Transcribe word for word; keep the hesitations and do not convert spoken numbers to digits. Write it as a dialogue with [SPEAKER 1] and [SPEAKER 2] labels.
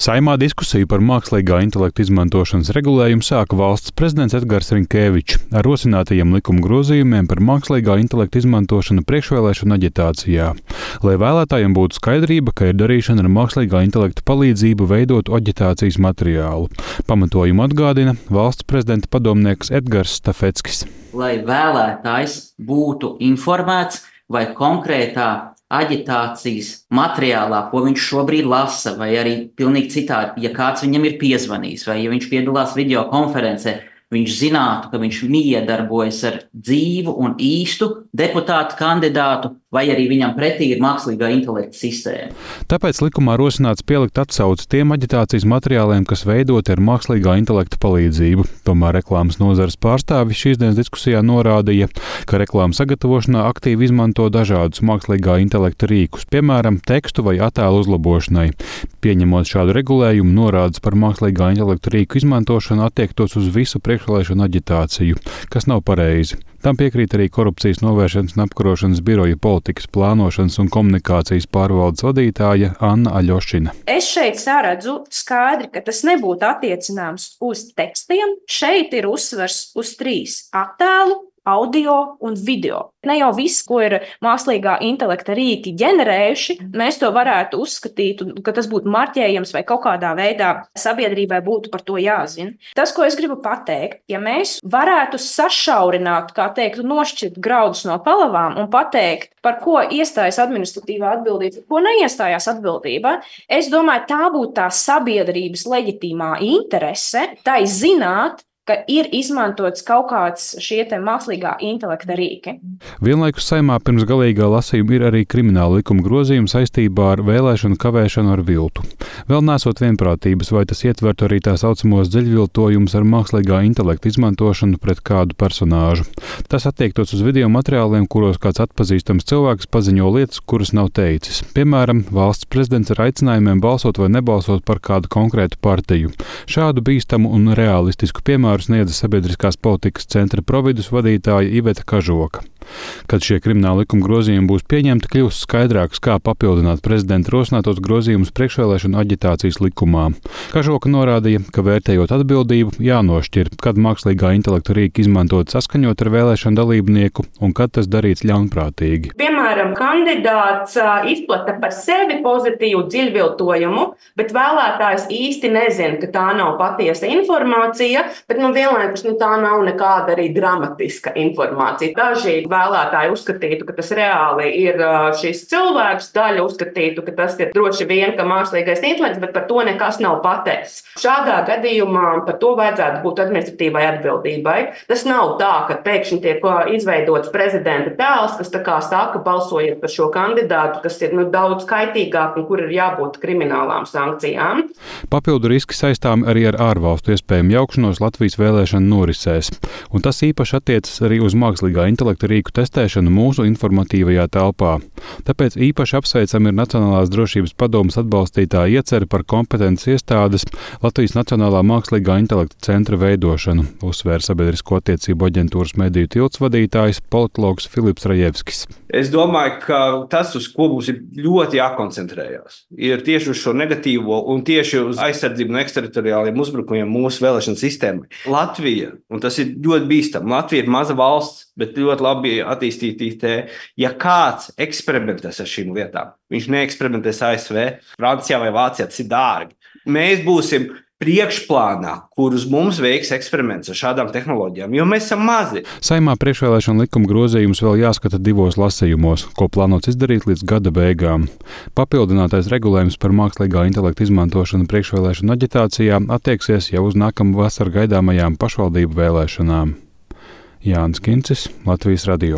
[SPEAKER 1] Saeimā diskusiju par mākslīgā intelekta izmantošanas regulējumu sāka valsts prezidents Edgars Rinkēvičs ar rosinātajiem likuma grozījumiem par mākslīgā intelekta izmantošanu priekšvēlēšanu aģitācijā, lai vēlētājiem būtu skaidrība, ka ir darīšana ar mākslīgā intelekta palīdzību veidot aģitācijas materiālu. Pamatojumu atgādina valsts prezidenta padomnieks Edgars Stafeckis.
[SPEAKER 2] Lai vēlētājs būtu informēts, vai konkrētā aģitācijas materiālā, ko viņš šobrīd lasa, vai arī pilnīgi citādi, ja kāds viņam ir piezvanījis, vai ja viņš piedalās videokonferencē, viņš zinātu, ka viņš miedarbojas ar dzīvu un īstu deputātu kandidātu, vai arī viņam pretī ir mākslīgā intelekta sistēma.
[SPEAKER 1] Tāpēc likumā rosināts pielikt atsauci tiem aģitācijas materiāliem, kas veidoti ar mākslīgā intelekta palīdzību. Tomēr reklāmas nozares pārstāvi šīs dienas diskusijā norādīja, ka reklāmas sagatavošanā aktīvi izmanto dažādus mākslīgā intelekta rīkus, piemēram, tekstu vai attēlu uzlabošanai. Pieņemot šādu regulējumu, norādes par mākslīgā intelekta rīku izmantošanu attiektos uz visu priekšvēlēšanu aģitāciju, kas nav pareizi. Tam piekrīt arī Korupcijas novēršanas un apkarošanas biroja politikas plānošanas un komunikācijas pārvaldes vadītāja Anna Aļošina.
[SPEAKER 3] Es šeit saredzu skaidri, ka tas nebūtu attiecināms uz tekstiem. Šeit ir uzsvers uz trīs - attēlu, audio un video. Ne jau viss, ko ir mākslīgā intelekta rīki ģenerējuši, mēs to varētu uzskatīt, ka tas būtu marķējams vai kaut kādā veidā sabiedrībai būtu par to jāzina. Tas, ko es gribu pateikt, ja mēs varētu sašaurināt, kā teikt, nošķirt graudus no palavām un pateikt, par ko iestājas administratīvā atbildība, ko neiestājās atbildība, es domāju, tā būtu tā sabiedrības leģitīmā interese, tai zināt, ka ir izmantots kaut kāds šie te mākslīgā intelekta rīki.
[SPEAKER 1] Vienlaikus Saeimā pirms galīgā lasījuma ir arī krimināla likuma grozījuma saistībā ar vēlēšanu kavēšanu ar viltu. Vēl nesot vienprātības, vai tas ietvertu arī tā saucamos dziļviltojumus ar mākslīgā intelekta izmantošanu pret kādu personāžu. Tas attiektos uz video materiāliem, kuros kāds atpazīstams cilvēks paziņo lietas, kuras nav teicis. Piemēram, valsts prezidents ar aicinājumiem balsot vai nebalsot par kādu konkrētu partiju. Šādu bīstamu un realistisku piemēru sniedza Sabiedriskās politikas centra providus vadītāja Iveta Kažoka. Kad šie krimināla likuma grozījumi būs pieņemti, kļūs skaidrāks, kā papildināt prezidenta rosinātos grozījumus priekšvēlēšanu aģitācijas likumā. Kažoka norādīja, ka vērtējot atbildību, jānošķir, kad mākslīgā intelekta rīki izmantot saskaņot ar vēlēšanu dalībnieku un kad tas darīts ļaunprātīgi.
[SPEAKER 4] Piemēram, kandidāts izplata par sevi pozitīvu dziļviltojumu, bet vēlētājs īsti nezina, ka tā nav patiesa informācija, bet nu, vienlaikus nu, tā nav nekāda arī dramatiska informācija. Daži vēlētāji uzskatītu, ka tas reāli ir šis cilvēks, daļa uzskatītu, ka tas ir droši vien, ka mākslīgais intelekts, bet par to nekas nav pateicis. Šādā gadījumā par to vajadzētu būt administratīvai atbildībai. Tas nav tā, ka pēkšņi tiek izveidots prezidenta tēls, kas tā kā saka, balsojiet par šo kandidātu, kas ir nu, daudz kaitīgāk un kur ir jābūt kriminālām sankcijām.
[SPEAKER 1] Papildu riski saistām arī ar ārvalstu iespējumu jaukšanos Latvijas vēlēšanu norisēs, un tas īpaši attiecas arī uz mākslīgā intelekta rīku testēšanu mūsu informatīvajā telpā. Tāpēc īpaši apsveicam ir Nacionālās drošības padomes atbalstītāja iecere par kompetences iestādes Latvijas Nacionālā mākslīgā intelekta centra veidošanu, uzsvēra Sabiedrisko attiecību aģentūras mediju tilts vadītājs politologs Filips Rajevskis.
[SPEAKER 5] Es domāju, ka tas, uz ko mums ir ļoti jākoncentrējās, ir tieši uz šo negatīvo un tieši uz aizsardzību no eksterritoriāliem uzbrukumiem mūsu vēlēšanu sistēmai. Latvija, un tas ir ļoti bīstami, Latvija ir maza valsts, bet ļoti labi attīstīta I T. Ja kāds eksperimentēs ar šīm lietām, viņš neeksperimentēs A S V, Francijā vai Vācijā, tas ir dārgi. Mēs būsim priekšplānā, kurus mums veiks eksperiments ar šādām tehnoloģijām, jo mēs esam mazi.
[SPEAKER 1] Saeimā priekšvēlēšana likuma grozījumus vēl jāskata divos lasījumos, ko plānots izdarīt līdz gada beigām. Papildinātais regulējums par mākslīgā intelekta izmantošanu priekšvēlēšanu aģitācijā attieksies jau uz nākamu vasaru gaidāmajām pašvaldību vēlēšanām. Jānis Kincis, Latvijas radio.